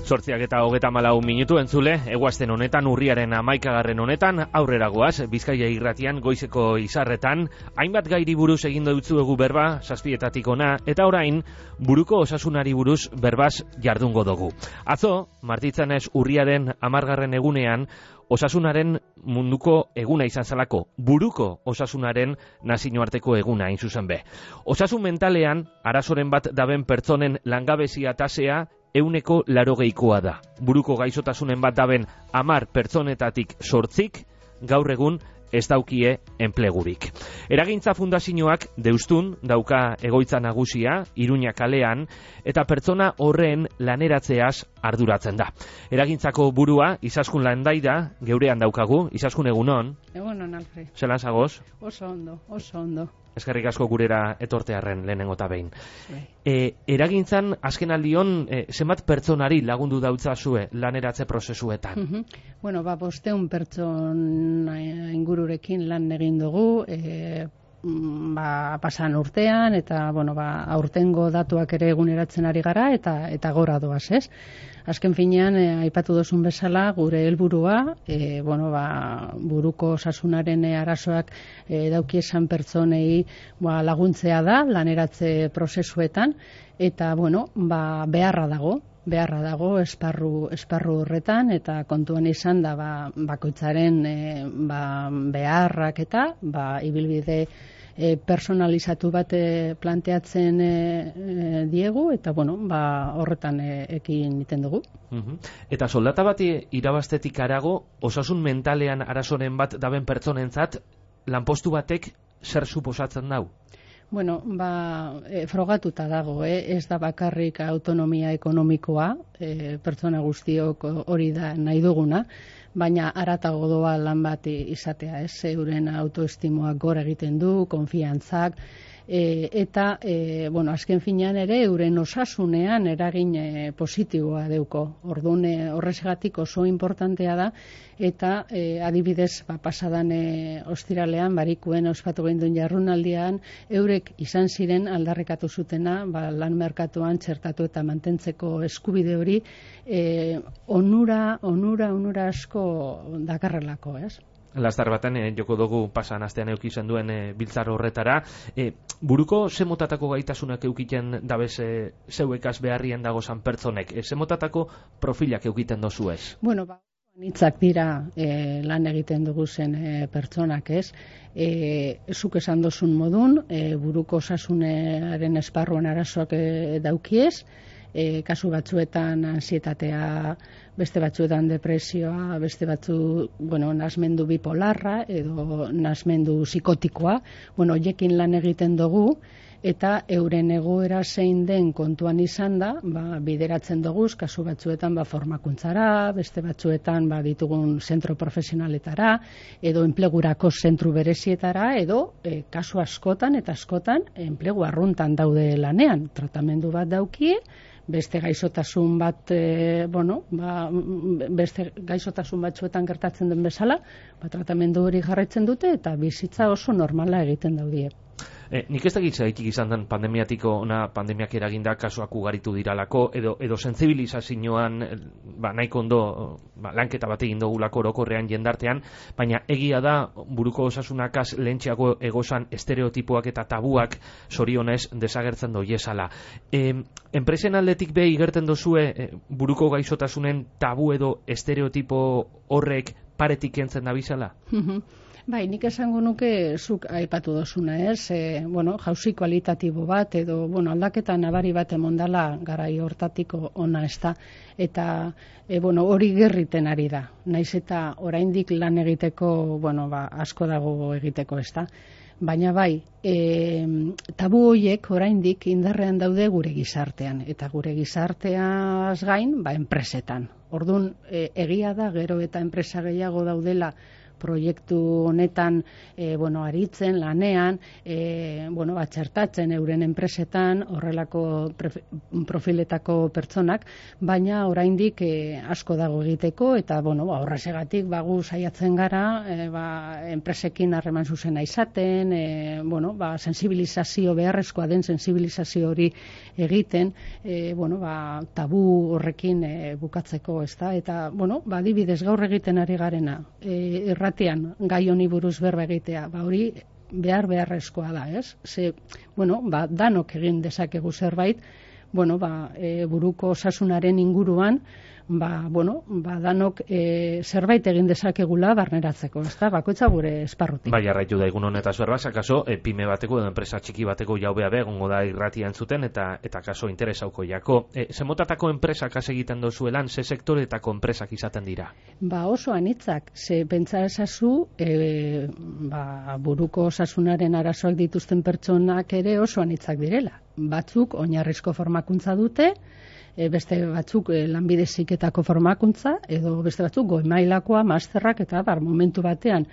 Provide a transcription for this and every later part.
8:34 entzule, eguazten honetan, urriaren 11. honetan, aurrera goaz, Bizkaia irratian, goizeko izarretan, hainbat gairi buruz egin dutzuegu berba, 7:00 ona, eta orain, buruko osasunari buruz berbaz jardungo dugu. Atzo, martitzanez urriaren 10. egunean, osasunaren munduko eguna izan zalako, buruko osasunaren nazioarteko eguna hain zuzen be. Osasun mentalean, arazoren bat daben pertsonen langabezia tasea 80%koa da. Buruko gaixotasunen bat daben 10 pertsonetatik 8 gaur egun ez daukie enplegurik. Eragintza fundazioak Deustun dauka egoitza nagusia, Iruña kalean, eta pertsona horren laneratzeaz arduratzen da. Eragintzako burua, Izaskun Landaida, geurean daukagu. Izaskun, egunon? Egunon, Alfred. Zelan zagoz? Oso ondo. Eskerrik asko gurera etortearren lehenengo eta behin. Eragintzan, azken aldion, zenbat pertsonari lagundu dautzazue laneratze prozesuetan? Bueno, 500 pertsona ingururekin lan egin dugu, pasan urtean, eta aurtengo datuak ere eguneratzen ari gara, eta gora doaz, ez? Azken finean, aipatu dozun bezala, gure helburua, buruko osasunaren arazoak daukiesan pertsonei laguntzea da, laneratze prozesuetan, eta, beharra dago esparru horretan, eta kontuan izan da, bakoitzaren beharrak eta, ibilbide personalizatu bat planteatzen diegu, eta horretan ekin egiten dugu. Eta soldata bat irabaztetik harago, osasun mentalean arazoren bat daben pertsonentzat, lanpostu batek zer suposatzen dau? Frogatuta dago, ez da bakarrik autonomia ekonomikoa, pertsona guztiok hori da nahi duguna, baina haratago doa lan bat izatea, ez, euren autoestimoak gora egiten du, konfiantzak, eta, azken finean ere, euren osasunean eragin positiboa deuko. Orduan, horrezgatik oso importantea da, eta adibidez, pasadan ostiralean, barikuen ospatu genduen jarrunaldian, eurek izan ziren aldarrekatu zutena, lan merkatuan txertatu eta mantentzeko eskubide hori, onura asko dakarrelako, ez? Lastar baten, joko dugu pasan astean eukizen duen biltzar horretara. Buruko zemotatako gaitasunak eukiten dabez zeuekaz beharrien dagozan pertsonek? Zemotatako profilak eukiten dozu ez? Nitzak dira lan egiten dugu zen pertsonak, ez? Zuk esan dozun modun, buruko osasunaren esparruan arazoak daukiez, kasu batzuetan ansietatea, beste batzuetan depresioa, beste nasmendu bipolarra edo nasmendu psikotikoa, hoiekin lan egiten dugu, eta euren egoera zein den kontuan izan da, bideratzen dugu, kasu batzuetan formakuntzara, beste batzuetan ditugun zentro profesionaletara, edo enplegurako zentru berezietara, edo kasu askotan enplegu arruntan daude lanean, tratamendu bat daukie, beste gaixotasun bat, beste gaixotasun batzuetan gertatzen den bezala, tratamendu hori jarraitzen dute, eta bizitza oso normala egiten daudie. Nik ez dakit zaitik izan den pandemiak eraginda kasuak ugaritu diralako, edo sentsibilizazioan nahiko ondo lanketa bat egin dugulako orokorrean jendartean, baina egia da buruko osasunakaz lehentxeago egozan estereotipoak eta tabuak zorionez desagertzen doiezala. Enpresen aldetik behi gerten dozue buruko gaixotasunen tabu edo estereotipo horrek paretik kentzen da bizala? Nik esango nuke zuk aipatu dozuna, ez? Jauzi kualitatibo bat edo aldaketa nabari bat emondala garai hortatiko ona, ez da? Eta hori gerriten ari da. Naiz eta oraindik lan egiteko, asko dago egiteko, ez da? Baina tabu horiek oraindik indarrean daude gure gizartean, eta gure gizarteaz gain, enpresetan. Orduan, egia da gero eta enpresa gehiago daudela proiektu honetan aritzen, lanean, txertatzen euren enpresetan horrelako profiletako pertsonak, baina oraindik asko dago egiteko, eta horregatik gu saiatzen gara enpresekin harreman zuzena izaten, sensibilizazio beharrezkoa den sensibilizazio hori egiten, tabu horrekin bukatzeko, ezta? Eta, adibidez gaur egiten ari garena, irratian gai honi buruz berba egitea, hori beharrezkoa da, ez? Danok egin dezakegu zerbait, buruko osasunaren inguruan, danok zerbait egin dezakegula barneratzeko, ezta? Bakoitza gure esparrutik. Bai, jarraitu da egun honetaz berba, kaso pyme bateko edo enpresa txiki bateko jaubea egongo da irratia entzuten eta kaso interesauko jako. Zemotatako enpresak has egiten dozuelan, ze sektoretako enpresak izaten dira? Oso anitzak, ze pentsa ezazu, buruko osasunaren arazoak dituzten pertsonak ere oso anitzak direla. Batzuk oinarrizko formakuntza dute, beste batzuk lanbide heziketako formakuntza, edo beste batzuk goi mailakoa, masterrak, eta momentu batean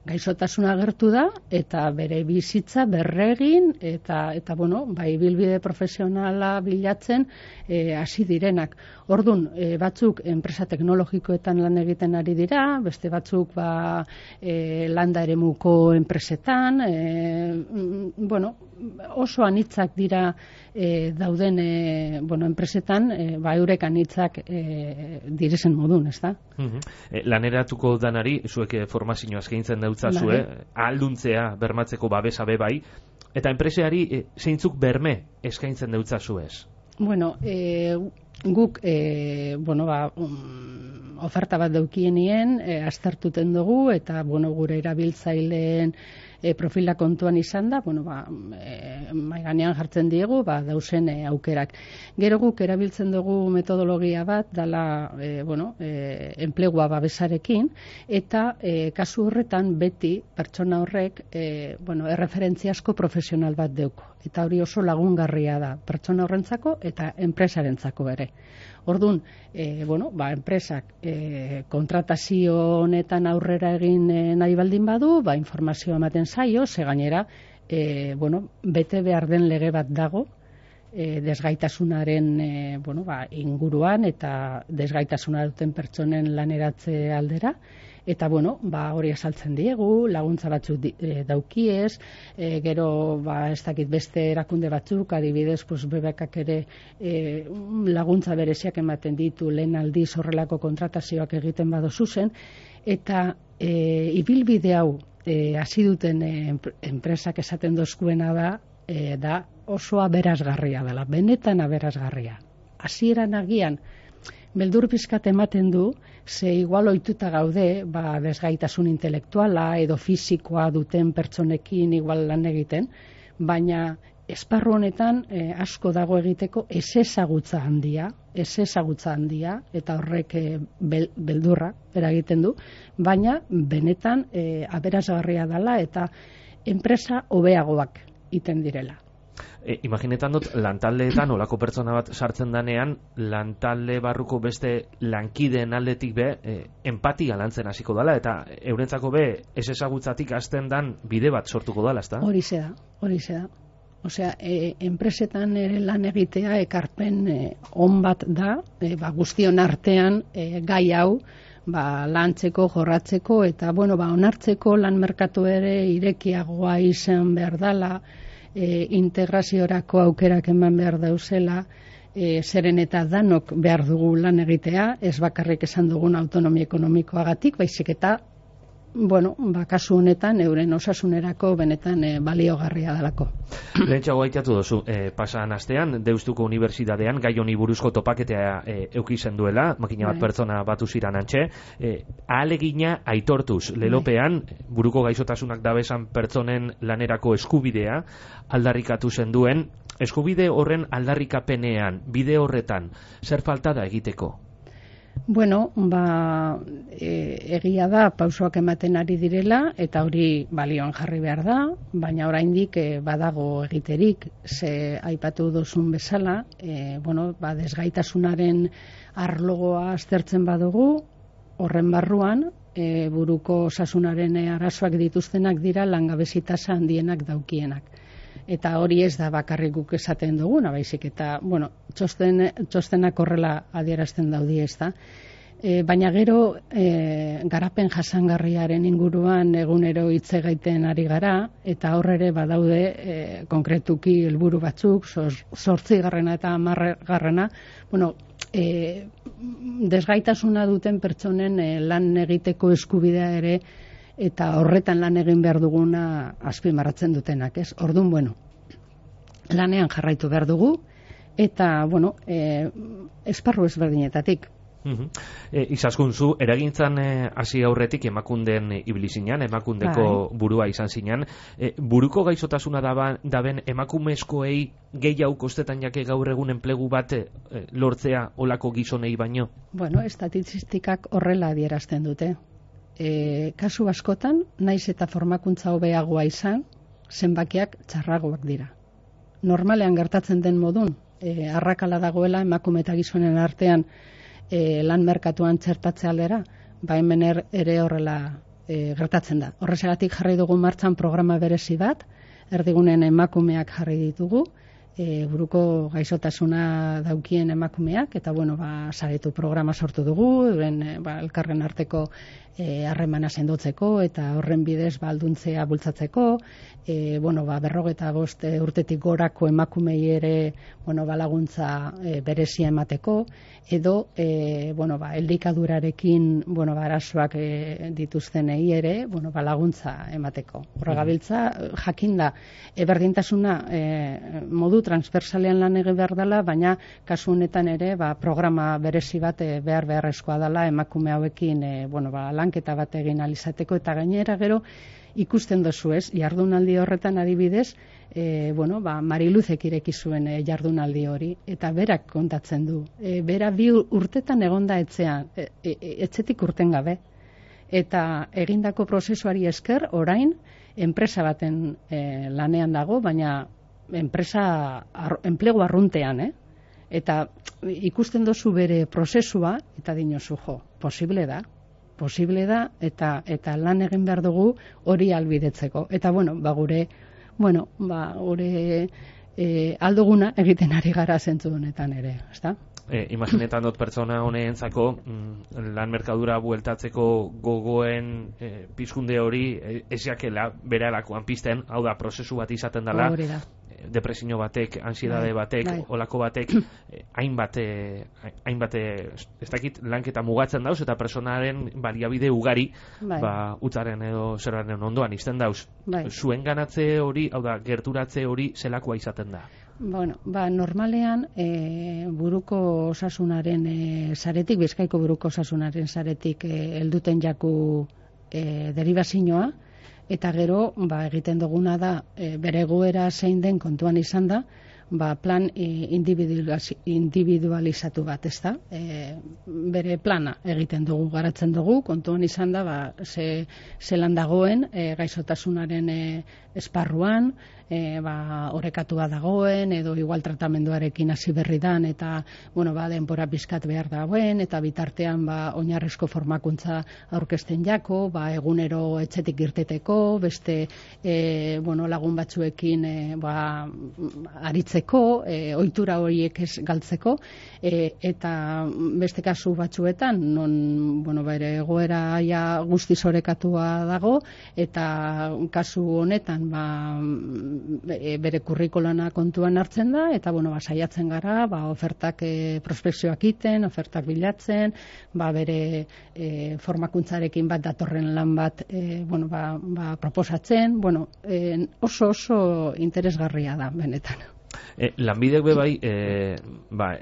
gaixotasuna agertu da, eta bere bizitza berregin, eta ibilbide profesionala bilatzen hasi direnak. Ordun, batzuk enpresa teknologikoetan lan egiten ari dira, beste batzuk landa eremuko enpresetan, oso anitzak dira dauden enpresetan, eurek anitzak direzen modun, ez da? Laneratuko danari, zuek formazioa eskaintzen dautzazue, ahalduntzea bermatzeko babesa bai, eta enpreseari zeintzuk berme eskaintzen dautzazuez? Guk oferta bat daukienien aztertuten dugu, eta gure erabiltzaileen profila kontuan izan da, mai gainean jartzen diegu, dauzen aukerak. Gero guk erabiltzen dugu metodologia bat, dala enplegua babesarekin, eta kasu horretan beti pertsona horrek erreferentziasko profesional bat deuko. Eta hori oso lagungarria da, pertsona horrentzako eta enpresarentzako ere. Orduan, enpresak kontratazio honetan aurrera egin nahi baldin badu, informazioa ematen zaio, ze gainera, bete behar den lege bat dago, desgaitasunaren inguruan eta desgaitasuna duten pertsonen laneratze aldera, eta hori azaltzen diegu, laguntza batzuk daukiez, gero ez dakit beste erakunde batzuk, adibidez BBKak ere laguntza bereziak ematen ditu lehen aldiz horrelako kontratazioak egiten badozu zen, eta ibilbide hau hasi duten enpresak esaten dozkuena da oso aberasgarria dela, benetan aberasgarria. Hasieran agian beldur pizkat ematen du, ze igual ohituta gaude, desgaitasun intelektuala edo fisikoa duten pertsonekin igual lan egiten, baina esparru honetan asko dago egiteko ezagutza handia, eta horrek beldurra eragiten du, baina benetan aberasgarria dela eta enpresa hobeagoak iten direla. Imaginetan dut, lantaldeetan olako pertsona bat sartzen danean, lantalde barruko beste lankideen aldetik empatia lantzen hasiko dela, eta eurentzako ez ezagutzatik hasten dan bide bat sortuko dela, ezta? Horixe da. Osea, enpresetan ere lan egitea ekarpen on bat da, guztion artean gai hau, lantzeko, jorratzeko, eta onartzeko lan merkatu ere irekiagoa izan behar dela, integraziorako aukerak eman behar dauzela, zeren eta danok behar dugu lan egitea, ez bakarrik esan dugun autonomia ekonomikoagatik, baizik eta kasu honetan euren osasunerako benetan baliogarria delako. Lehentxago aitatu dozu, pasan astean, Deustuko Unibertsitatean gai honi buruzko topaketea eukizen duela, makina bat pertsona batu ziran antxe, ahalegina aitortuz, lelopean, buruko gaixotasunak dabesan pertsonen lanerako eskubidea aldarrikatu zen duen, eskubide horren aldarrikapenean, bide horretan, zer falta da egiteko? Egia da pausoak ematen ari direla eta hori balioan jarri behar da, baina oraindik badago egiterik, ze aipatu duzun bezala, desgaitasunaren arlogoa aztertzen badugu, horren barruan buruko osasunaren arazoak dituztenak dira langabezi tasa handienak daukienak. Eta hori ez da bakarrik guk esaten duguna, baizik eta, bueno, txostenak horrela adierazten daudi, ez da. Baina gero garapen jasangarriaren inguruan egunero hitz egiten ari gara, eta hor ere badaude konkretuki helburu batzuk, 8. eta 10. Bueno, desgaitasuna duten pertsonen lan egiteko eskubidea ere, eta horretan lan egin behar duguna azpimarratzen dutenak, ez? Orduan, bueno, lanean jarraitu behar dugu, eta, bueno, esparru ezberdinetatik. Izaskun, zu eragintzan hasi aurretik Emakunden ibili zinan, Emakundeko burua izan zinan. Buruko gaixotasuna daben emakumezkoei gehiago kostetan jake gaur egun enplegu bat lortzea olako gizonei baino? Bueno, estatistikak horrela adierazten dute. Kasu askotan, naiz eta formakuntza hobeagoa izan, zenbakiak txarragoak dira. Normalean gertatzen den modun, arrakala dagoela emakume eta gizonen artean lan merkatuan txertatze aldera, hemen ere horrela gertatzen da. Horrexegatik jarri dugu martxan programa berezi bat, erdigunen emakumeak jarri ditugu, buruko gaixotasuna daukien emakumeak, eta bueno, saretu programa sortu dugu, elkarren arteko harremana sendotzeko, eta horren bidez alduntzea bultzatzeko, 55 urtetik gorako emakumei ere laguntza berezia emateko, edo elikadurarekin arazoak dituztenei ere laguntza emateko. Horra gabiltza, jakinda, berdintasuna modu transversalean lan egin behar dela, baina kasu honetan ere programa berezi bat beharrezkoa dela emakume hauekin lanketa bat egin alizateko, eta gainera gero ikusten dozu, ez, jardunaldi horretan adibidez, Mariluzek ireki zuen jardunaldi hori, eta berak kontatzen du. Bera 2 urtetan egonda etxean, etxetik urten gabe. Eta egindako prozesuari esker, orain, enpresa baten lanean dago, baina enplegu arruntean, Eta ikusten dozu bere prozesua, eta dinozu, posible da, eta lan egin behar dugu hori albidetzeko. Eta, gure alduguna egiten ari gara zentzu honetan ere, ezta? Imaginetan dut pertsona honeentzako lan merkadura bueltatzeko gogoen pizkunde hori ez jakela beralakoan pizten, hau da, prozesu bat izaten dela, depresio batek, ansiedade batek, olako batek, hainbat ez dakit lanketa mugatzen dauz, eta personaren baliabide ugari utzaren edo zeraren ondoan izten dauz. Zuen ganatze hori, hau da, gerturatze hori zelakoa izaten da? Normalean buruko osasunaren saretik, Bizkaiko buruko osasunaren saretik helduten jaku deribazioa, eta gero egiten duguna da bere egoera zein den kontuan izan da, plan individualizatu bat, ez da? Bere plana egiten dugu, garatzen dugu, kontuan izan da, zelan dagoen gaixotasunaren esparruan, orekatua dagoen, edo igual tratamenduarekin hasi berri dan, eta denbora pizkat behar dagoen, eta bitartean oinarrizko formakuntza aurkezten jako, egunero etxetik irteteko, beste lagun batzuekin aritzeko, ohitura horiek ez galtzeko, eta beste kasu batzuetan, non bere egoera guztiz orekatua dago, eta kasu honetan bere kurrikulana kontuan hartzen da, eta saiatzen gara, ofertak prospekzioak iten, ofertak bilatzen, bere formakuntzarekin bat datorren lan bat proposatzen, oso interesgarria da, benetan. Lanbidek bebai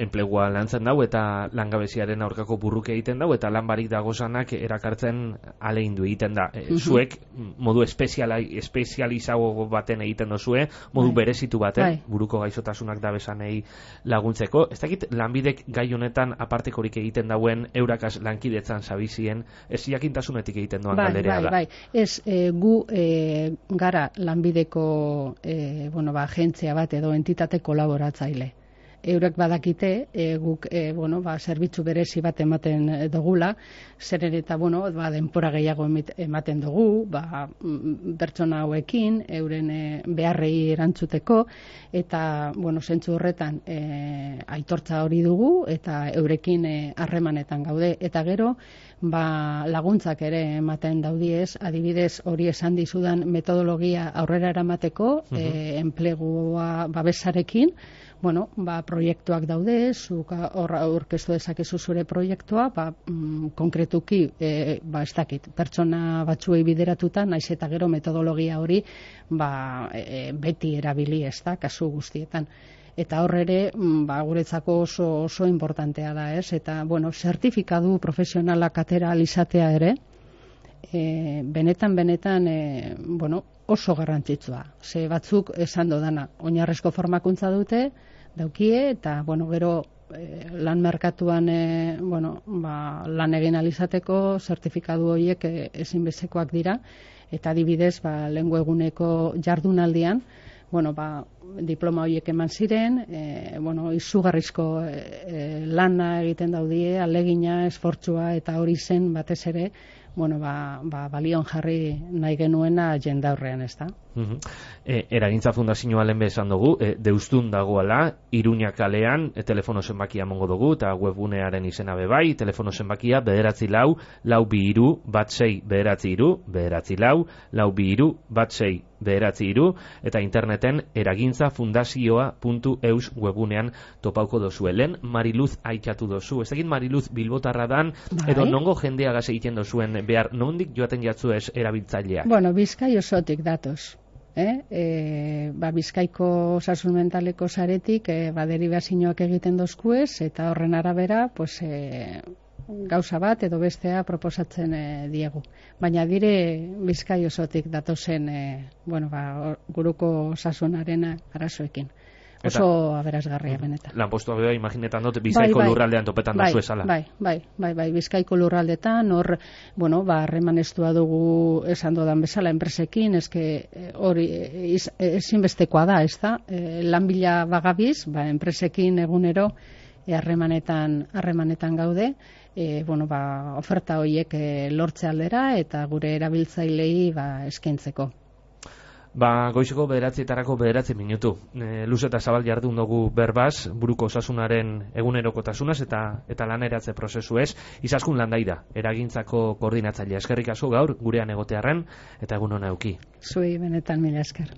enplegua lantzen dau eta langabeziaren aurkako burruke egiten dau eta lan barik dagozanak erakartzen aleindu egiten da. Zuek modu espezializago baten egiten dozue, modu berezitu baten, buruko gaixotasunak dabesanei laguntzeko. Ez dakit lanbidek gai honetan apartekorik egiten dauen eurakaz lankidetzan zabizien, ez jakintasunetik egiten doan galderea da. Ez, gu gara lanbideko agentzia bat edo entitate kolaboratzaile. eurek badakite guk zerbitzu berezi bat ematen dugula, zeren eta denpora gehiago ematen dugu, pertsona hauekin, euren beharrei erantzuteko, eta zentzu horretan aitortza hori dugu, eta eurekin harremanetan gaude, eta gero laguntzak ere ematen daudiez, adibidez hori esan dizudan metodologia aurrera eramateko, enplegua babesarekin, proiektuak daude, zuk horra aurkeztu dezakezu zure proiektua, konkretuki, ez dakit, pertsona batzuei bideratuta, naiz eta gero metodologia hori beti erabili, ez da, kasu guztietan. Eta hor ere, guretzako oso importantea da, ez? Eta, zertifikatu profesionalak atera alizatea ere, benetan, oso garrantzitsua. Ze batzuk esan dodana, oinarrezko formakuntza dute, daukie, eta, gero lan merkatuan lan egin alizateko zertifikatu horiek ezinbestekoak dira, eta adibidez, lehengo eguneko jardunaldian, diploma horiek eman ziren, izugarrizko lana egiten daudie, alegina, esfortzua, eta hori zen batez ere, balion jarri nahi genuena jendaurrean, ez da? Eragintza Fundazioa lehen esan dugu, deustun dagoela, Iruña kalean, telefono zenbakia mongo dugu, eta webgunearen izena bebai, telefono zenbakia 944-469-944-469-944, eta interneten eragintzafundazioa.eus webgunean topauko dozu. Lehen Mariluz aitzatu dozu, ez egin Mariluz bilbotarra dan, edo nongo jendeagaz egiten dozuen behar, nondik joaten jatzu ez erabiltzaileak? Bizkai osotik datoz. Bizkaiko osasun mentaleko saretik deribazioak egiten dozkuez, eta horren arabera gauza bat edo bestea proposatzen diegu. Baina dire Bizkai osotik datozen guruko osasunaren arazoekin. Oso aberasgarria benetan. Lanpostua beha, imaginetan dut, Bizkaiko lurraldean topetan da zuezala. Bai, Bizkaiko lurraldetan, hor, harremanestua dugu esan dodan bezala enpresekin, hori ezinbestekoa da, ez da? Lanbila bagabiz, enpresekin egunero harremanetan gaude, oferta horiek lortze aldera eta gure erabiltzailei eskaintzeko. Goizeko 9:00 minutu. Luz eta zabal jardun dugu berbaz, buruko osasunaren egunerokotasunaz eta laneratze prozesu ez. Izaskun Landaida, eragintzako koordinatzailea. Eskerrik asko gaur, gurean egotearren, eta egun hona euki. Zuei benetan mila esker.